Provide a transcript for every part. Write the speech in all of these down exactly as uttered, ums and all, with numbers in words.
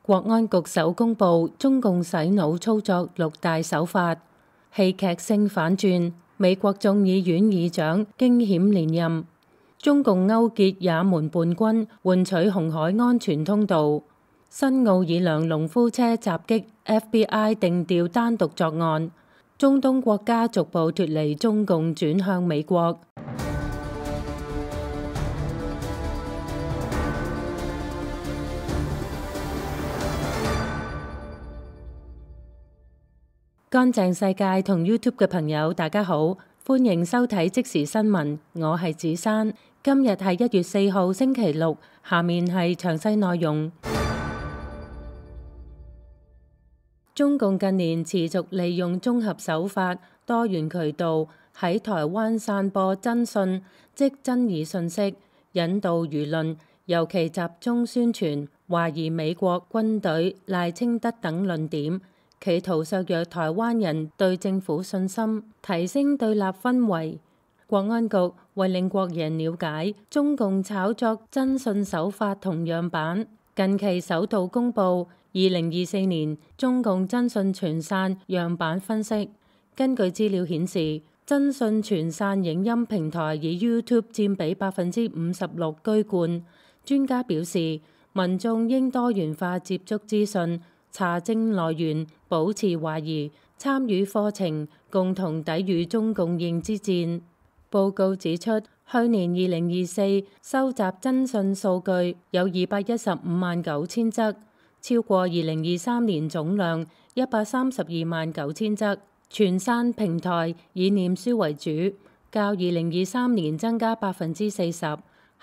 國安局首公布中共洗腦操作六大手法，戲劇性反轉，美國眾議院議長驚險連任，中共勾結也門叛軍換取紅海安全通道，新奧爾良農夫車襲擊 F B I 定調單獨作案，中東國家逐步脫離中共轉向美國。乾淨世界同 YouTube 嘅朋友大家好，歡迎收睇即時新聞，我係子珊。今日係一月四號星期六，下面係詳細內容。中共近年持續利用綜合手法、多元渠道喺台灣散播真訊，即爭議信息，引導輿論，尤其集中宣傳懷疑美國軍隊賴清德等論點，企圖削弱台灣人對政府信心，提升對立氛圍。國安局為令國人了解中共炒作真訊手法同樣板，近期首度公布二零二四年中共真訊傳散樣板分析。根據資料顯示，真訊傳散影音平台以 YouTube 佔比百分之五十六居冠。專家表示，民眾應多元化接觸資訊，查證來源，保持懷疑，參與課程，共同抵禦中共認知戰。報告指出，去年二零二四收集真訊數據有二百一十五萬九千則，超過二零二三年總量一百三十二萬九千則。傳散平台以臉書為主，較二零二三年增加百分之四十。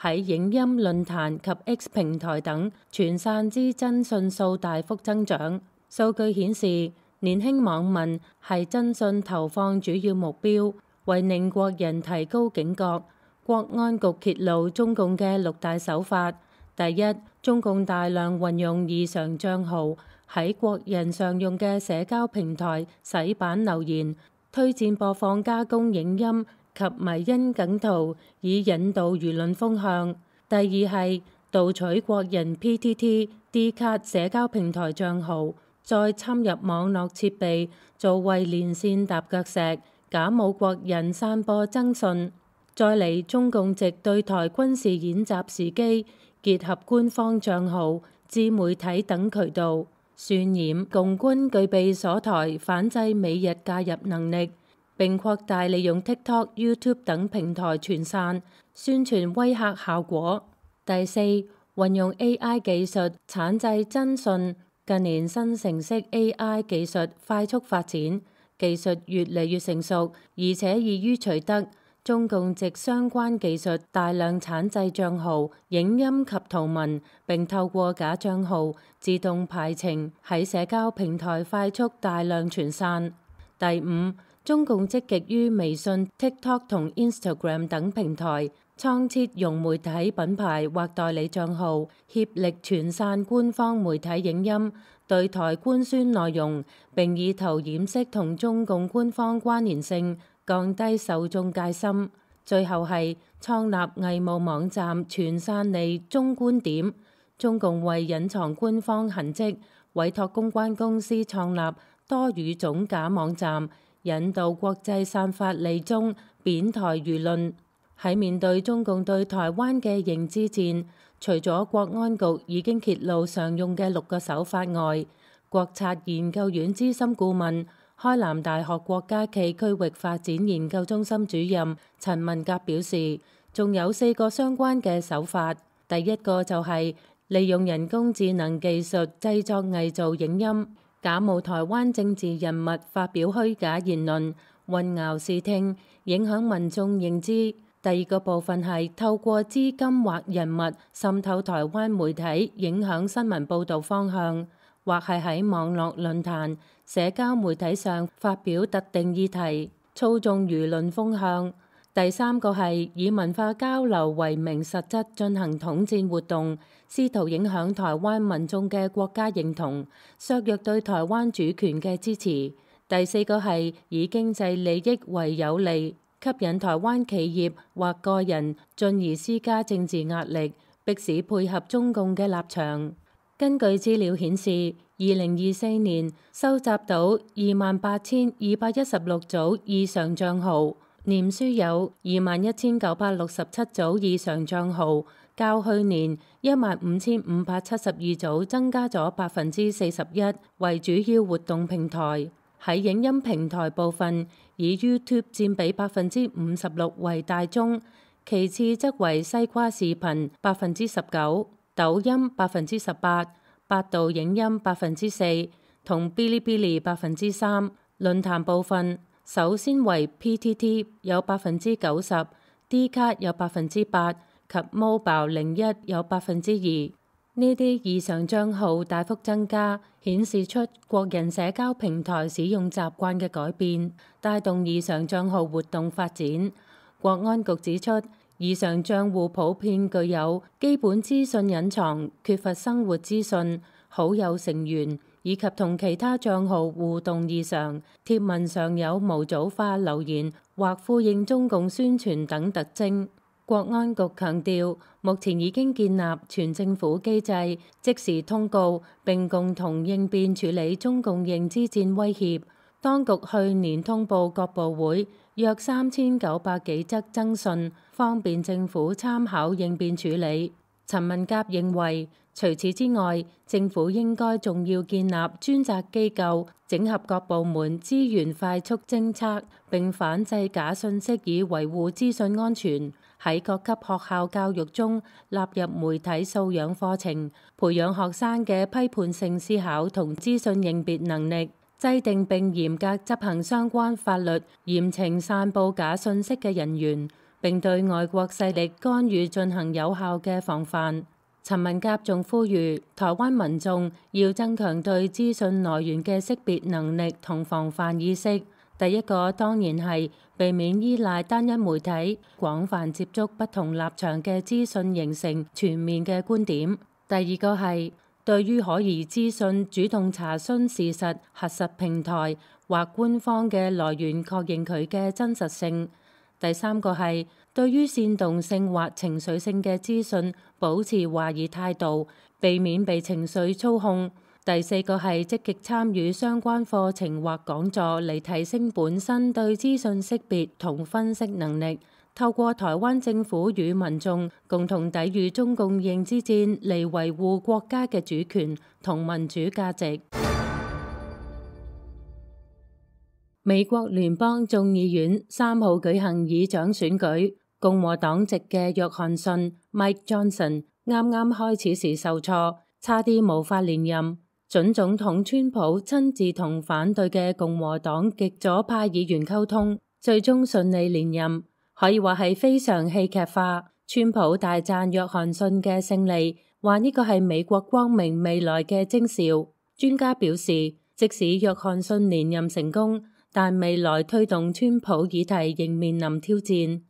喺影音論壇及 X 平台等傳散之真訊數大幅增長。數據顯示，年輕網民係真訊投放主要目標。為令國人提高警覺，國安局揭露中共嘅六大手法。第一，中共大量運用異常帳號喺國人常用嘅社交平台洗版留言，推薦播放加工影音及迷因梗圖，以引導輿論風向。第二係盜取國人 P T T、D 卡社交平台帳號，再侵入網絡設備，做為連線踏腳石，假冒國人散播真訊。再嚟，中共藉對台軍事演習時機，結合官方帳號、自媒體等渠道，渲染共軍具備鎖台反制美日介入能力，並擴大利用 TikTok、YouTube 等平台傳散，宣傳威嚇效果。第四，運用 A I 技術產製真訊。近年新程式 A I 技術快速發展，技術越嚟越成熟，而且易於取得。中共藉相關技術大量產製帳號、影音及圖文，並透過假帳號自動排程，喺社交平台快速大量傳散。第五，中共積極於微信、TikTok 同 Instagram 等平台創設融媒體品牌或代理帳號，協力傳散官方媒體影音，對台官宣內容，並以圖掩飾同中共官方關聯性，降低受眾戒心。最後係創立偽冒網站傳散利中觀點。中共為隱藏官方痕跡，委託公關公司創立多語種假網站，引導國際散發利中貶台輿論。喺面對中共對台灣嘅認知戰，除咗國安局已經揭露常用嘅六個手法外，國策研究院資深顧問、開南大學國家暨區域發展研究中心主任陳文甲表示，仲有四個相關嘅手法。第一個就係利用人工智能技術製作偽造影音，假冒台灣政治人物發表虛假言論，混淆視聽，影響民眾認知。第二個部分係透過資金或人物滲透台灣媒體，影響新聞報導方向，或係喺網絡論壇、社交媒體上發表特定議題，操縱輿論風向。第三個係以文化交流為名，實質進行統戰活動，試圖影響台灣民眾嘅國家認同，削弱對台灣主權嘅支持。第四個係以經濟利益為有利，吸引台灣企業或個人，進而施加政治壓力，迫使配合中共嘅立場。根據資料顯示，二零二四年收集到二萬八千二百一十六組異常帳號，臉書有二萬一千九百六十七組異常帳號，較去年一萬五千五百七十二組增加咗百分之四十一，為主要活動平台。喺影音平台部分，以 YouTube 佔比百分之五十六為大宗，其次則為西瓜視頻百分之十九。抖音百分之十八，百度影音百分之四，同嗶哩嗶哩百分之三。論壇部分，首先為 P T T 有百分之九十，D 卡有百分之八，及 Mobile 零一有百分之二。呢啲異常帳號大幅增加，顯示出國人社交平台使用習慣嘅改變，帶動異常帳號活動發展。國安局指出，異常帳戶普遍具有基本資訊隱藏、缺乏生活資訊、好友成員以及同其他帳號互動異常、貼文上有模組化留言或呼應中共宣傳等特徵。國安局強調，目前已經建立全政府機制，即時通告並共同應變處理中共認知戰威脅。當局去年通報各部會約三千九百幾則徵信，方便政府參考應變處理。陳文甲認為，除此之外，政府應該仲要建立專責機構，整合各部門資源，快速偵測並反制假信息，以維護資訊安全。喺各級學校教育中納入媒體素養課程，培養學生嘅批判性思考同資訊認別能力。制定並嚴格執行相關法律，嚴懲散佈假信息嘅人員，並對外國勢力干預進行有效嘅防範。陳文甲仲呼籲台灣民眾要增強對資訊來源嘅識別能力同防範意識。第一個當然係避免依賴單一媒體，廣泛接觸不同立場嘅資訊，形成全面嘅觀點。第二個係對於可疑資訊，主動查詢事實，核實平台或官方嘅來源，確認佢嘅真實性。第三個係對於煽動性或情緒性嘅資訊，保持懷疑態度，避免被情緒操控。第四個係積極參與相關課程或講座，嚟提升本身對資訊識別同分析能力。透過台灣政府與民眾共同抵禦中共認知戰，嚟維護國家嘅主權同民主價值。美國聯邦眾議院三號舉行議長選舉，共和黨籍嘅約翰遜 Mike Johnson 啱啱開始時受挫，差啲無法連任。準總統川普親自同反對嘅共和黨極左派議員溝通，最終順利連任。可以話係非常戲劇化。川普大讚約翰遜嘅勝利，話呢個係美國光明未來嘅徵兆。專家表示，即使約翰遜連任成功，但未來推動川普議題仍面臨挑戰。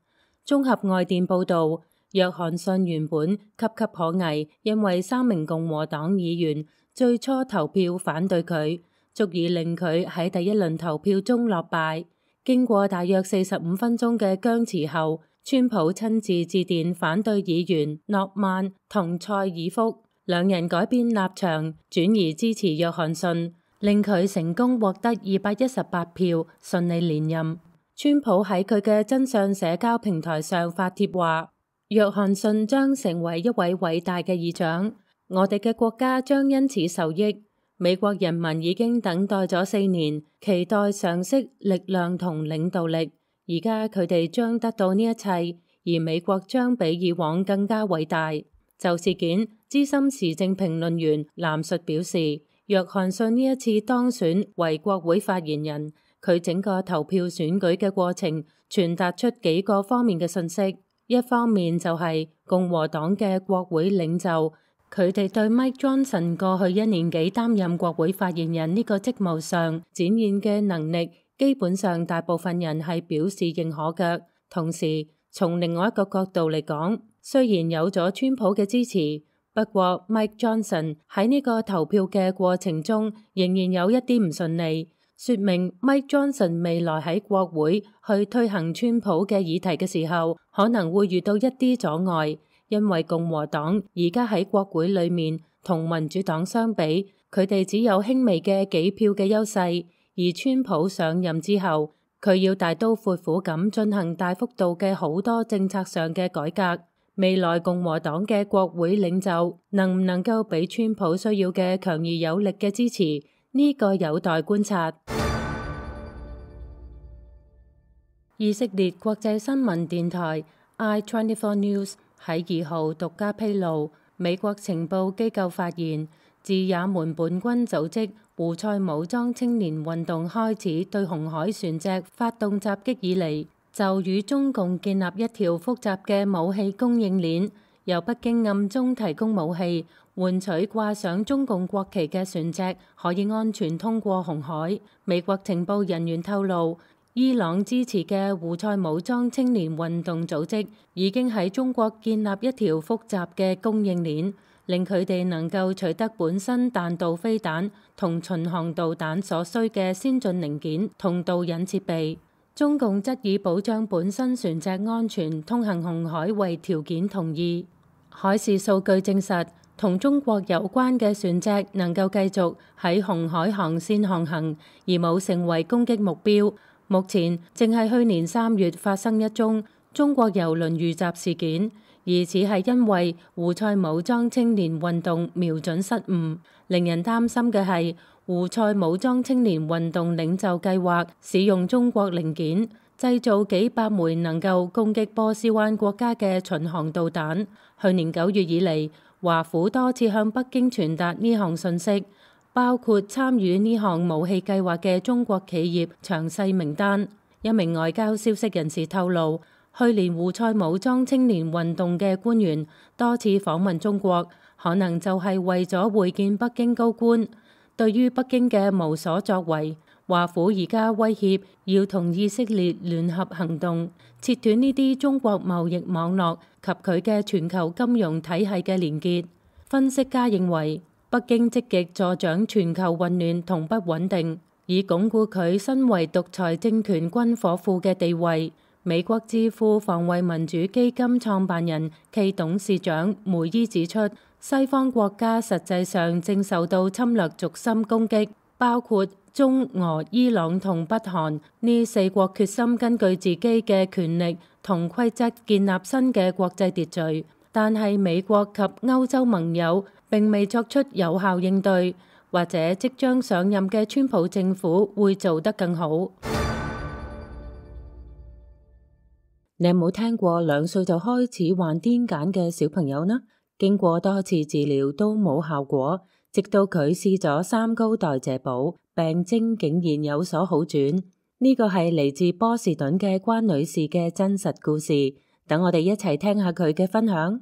綜合外電報導，約翰遜原本岌岌可危，因為三名共和黨議員最初投票反對佢，足以令佢喺第一輪投票中落敗。經過大約四十五分鐘嘅僵持後，川普親自致電反對議員諾曼同蔡爾福，兩人改變立場，轉而支持約翰遜，令佢成功獲得二百一十八票，順利連任。川普喺佢嘅真相社交平台上發帖話，約翰遜將成為一位偉大嘅議長，我哋嘅國家將因此受益。美國人民已經等待咗四年，期待常識、力量同領導力。而家佢哋將得到呢一切，而美國將比以往更加偉大。就事件，資深時政評論員藍述表示，約翰遜呢一次當選為國會發言人，佢整個投票選舉嘅過程傳達出幾個方面嘅信息。一方面就係共和黨嘅國會領袖，佢哋對 Mike Johnson 過去一年幾擔任國會發言人呢個職務上展現嘅能力，基本上大部分人係表示認可嘅。同時，從另外一個角度嚟講，雖然有咗川普嘅支持，不過 Mike Johnson 喺呢個投票嘅過程中仍然有一啲唔順利，說明 Mike Johnson 未來喺國會去推行川普嘅議題嘅時候，可能會遇到一啲阻礙。因為共和黨而家喺國會裏面同民主黨相比，佢哋只有輕微嘅幾票嘅優勢。而川普上任之後，佢要大刀闊斧咁進行大幅度嘅好多政策上嘅改革。未來共和黨嘅國會領袖能唔能夠俾川普需要嘅強而有力嘅支持？呢個有待觀察。以色列國際新聞電台 I twenty-four News 喺二號獨家披露，美國情報機構發現，自也門叛軍組織胡塞武裝青年運動開始對紅海船隻發動襲擊以嚟，就與中共建立一條複雜嘅武器供應鏈，由北京暗中提供武器，換取掛上中共國旗嘅船隻可以安全通過紅海。美國情報人員透露，伊朗支持嘅胡塞武裝青年運動組織已經喺中國建立一條複雜嘅供應鏈，令佢哋能夠取得本身彈道飛彈同巡航導彈所需嘅先進零件同導引設備。中共則以保障本身船隻安全通行紅海為條件同意。海事數據證實，同中國有關嘅船隻能夠繼續喺紅海航線航行，而冇成為攻擊目標。目前正係去年三月發生一宗中國郵輪遇襲事件，疑似係因為胡塞武裝青年運動瞄準失誤。令人擔心嘅係，胡塞武裝青年運動領袖計劃使用中國零件製造幾百枚能夠攻擊波斯灣國家嘅巡航導彈。去年九月以嚟，華府多次向北京傳達呢項信息，包括參與呢項武器計劃嘅中國企業詳細名單。一名外交消息人士透露，去年胡塞武裝青年運動嘅官員多次訪問中國，可能就係為咗會見北京高官。對於北京嘅無所作為，華府而家威脅要同以色列聯合行動，切斷呢啲中國貿易網絡及佢嘅全球金融體系嘅連結。分析家認為，北京積極助長全球混亂同不穩定，以鞏固佢身為獨裁政權軍火庫嘅地位。美國智庫防衛民主基金創辦人暨董事長梅伊指出，西方國家實際上正受到侵略軸心攻擊，包括中俄、伊朗同北韓呢四國決心根據自己嘅權力同規則建立新嘅國際秩序，但係美國及歐洲盟友並未作出有效應對，或者即將上任嘅川普政府會做得更好。你有冇聽過兩歲就開始患癲癇嘅小朋友呢？經過多次治療都冇效果，直到佢試咗三高代謝寶，病徵竟然有所好轉。呢個係嚟自波士頓嘅關女士嘅真實故事。等我哋一齊聽下佢嘅分享。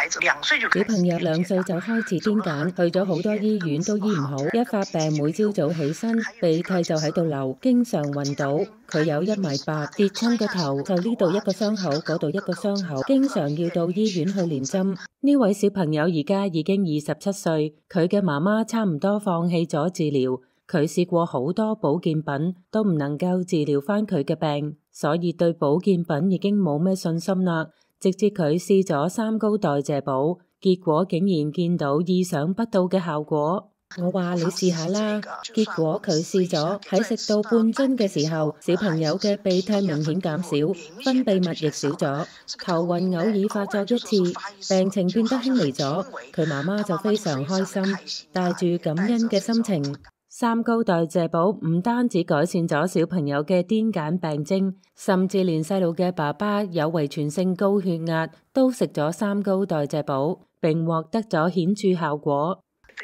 小朋友兩歲就開始癲癇，去咗好多醫院都醫唔好，一發病每朝早起身鼻涕就喺度流，經常暈倒。佢有一米八，跌親個頭就呢度一個傷口，嗰度一個傷口，經常要到醫院去連針。呢位小朋友而家已經二十七歲，佢嘅媽媽差唔多放棄咗治療，佢試過好多保健品都唔能夠治療返佢嘅病，所以對保健品已經冇咩信心啦。直至佢試咗三高代謝寶，結果竟然見到意想不到嘅效果。我話你試下啦，結果佢試咗，喺食到半樽嘅時候，小朋友嘅鼻涕明顯減少，分泌物亦少咗，頭暈偶爾發作一次，病情變得輕微咗。佢媽媽就非常開心，帶住感恩嘅心情。三高代謝寶唔單止改善咗小朋友嘅癲癇病徵，甚至連細路嘅爸爸有遺傳性高血壓都食咗三高代謝寶，並獲得咗顯著效果。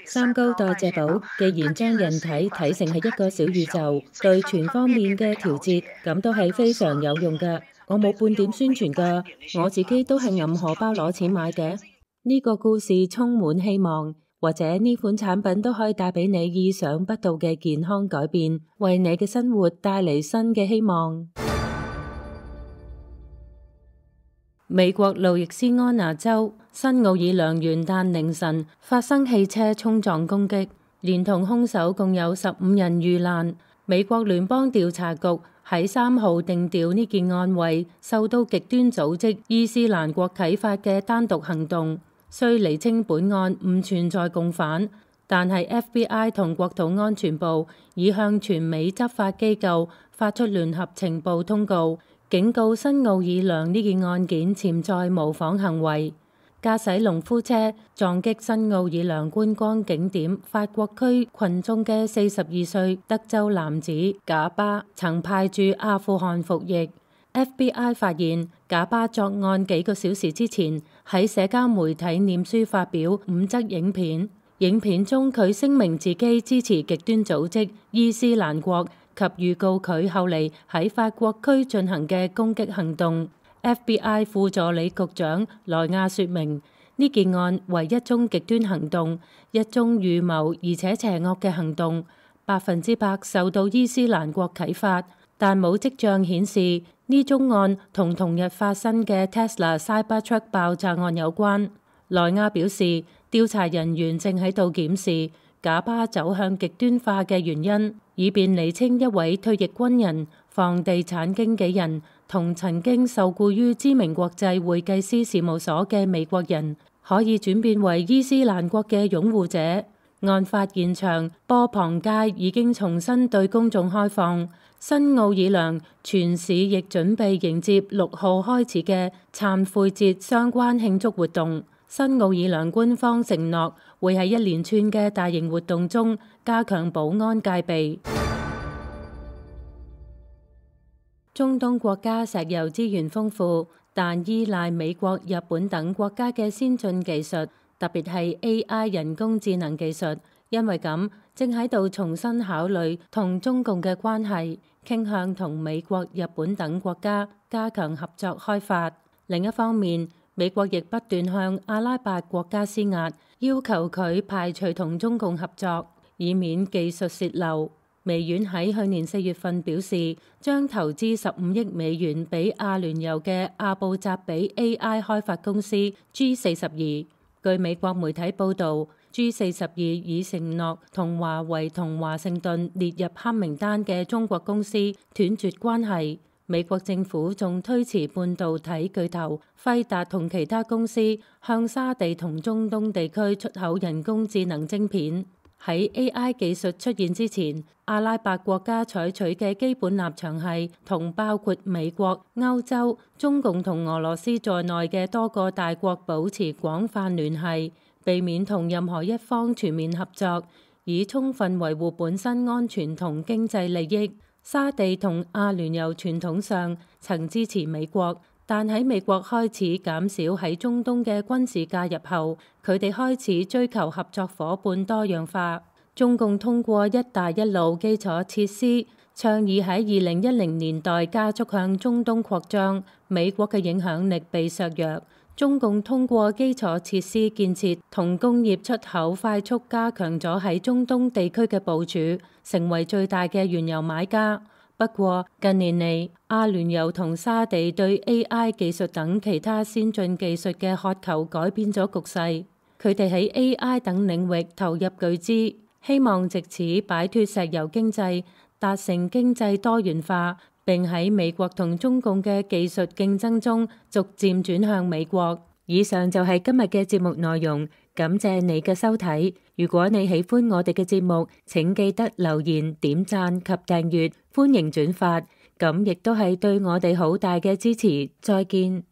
三高代謝寶既然將人體睇成係一個小宇宙，對全方面嘅調節，咁都係非常有用㗎。我冇半點宣傳㗎，我自己都係揞荷包攞錢買嘅。呢個故事充滿希望。或者呢款產品都可以帶俾你意想不到嘅健康改變，為你嘅生活帶嚟新嘅希望。美國路易斯安那州新奧爾良元旦凌晨發生汽車衝撞攻擊，連同兇手共有十五人遇難。美國聯邦調查局喺三號定調呢件案為受到極端組織伊斯蘭國啟發嘅單獨行動。雖釐清本案唔存在共犯，但係 F B I 同國土安全部已向全美執法機構發出聯合情報通告，警告新奧爾良呢件案件潛在模仿行為。駕駛農夫車撞擊新奧爾良觀光景點法國區群眾嘅四十二歲德州男子賈巴曾派駐阿富汗服役。F B I 發現賈巴作案幾個小時之前喺社交媒體臉書發表五則影片，影片中佢聲明自己支持極端組織伊斯蘭國及預告佢後嚟喺法國區進行嘅攻擊行動。F B I 副助理局長萊亞說明，呢件案為一宗極端行動，一宗預謀而且邪惡嘅行動，百分之百受到伊斯蘭國啟發，但冇跡象顯示呢宗案同同日發生嘅 Tesla Cybertruck 爆炸案有關。萊亞表示，調查人員正喺度檢視賈巴走向極端化嘅原因，以便釐清一位退役軍人、房地產經紀人同曾經受僱於知名國際會計師事務所嘅美國人，可以轉變為伊斯蘭國嘅擁護者。案發現場波旁街已經重新對公眾開放，新奧爾良全市亦準備迎接六號開始嘅懺悔節相關慶祝活動。新奧爾良官方承諾會喺一連串嘅大型活動中加強保安戒備。中東國家石油資源豐富，但依賴美國、日本等國家嘅先進技術，特別係 A I 人工智能技術。因為咁，正喺度重新考慮同中共嘅關係，傾向同美國、日本等國家加強合作開發。另一方面，美國亦不斷向阿拉伯國家施壓，要求佢排除同中共合作，以免技術洩漏。微軟喺去年四月份表示，將投資十五億美元俾阿聯酋嘅阿布扎比 A I 開發公司 G 四十二。據美國媒體報導，G 四十二已承諾同華為同華盛頓列入黑名單嘅中國公司斷絕關係。美國政府仲推遲半導體巨頭輝達同其他公司向沙地同中東地區出口人工智能晶片。喺 A I 技術出現之前，阿拉伯國家採取嘅基本立場係同包括美國、歐洲、中共同俄羅斯在內嘅多個大國保持廣泛聯繫，避免同任何一方全面合作，以充分維護本身安全同經濟利益。沙地同阿聯酋傳統上曾支持美國，但喺美國開始減少喺中東嘅軍事介入後，佢哋開始追求合作夥伴多樣化。中共通過一帶一路基礎設施，倡議喺二零一零年代加速向中東擴張，美國嘅影響力被削弱。中共通過基礎設施建設同工業出口快速加強咗喺中東地區嘅部署，成為最大嘅原油買家。不過近年嚟，阿聯酋同沙地對 A I 技術等其他先進技術嘅渴求改變咗局勢，佢哋喺 A I 等領域投入巨資，希望藉此擺脫石油經濟，達成經濟多元化，並喺美國同中共嘅技術競爭中逐漸轉向美國。以上就係今日嘅節目內容，感謝你嘅收睇。如果你喜歡我哋嘅節目，請記得留言、點讚及訂閱，歡迎轉發，咁亦都係對我哋好大嘅支持。再見。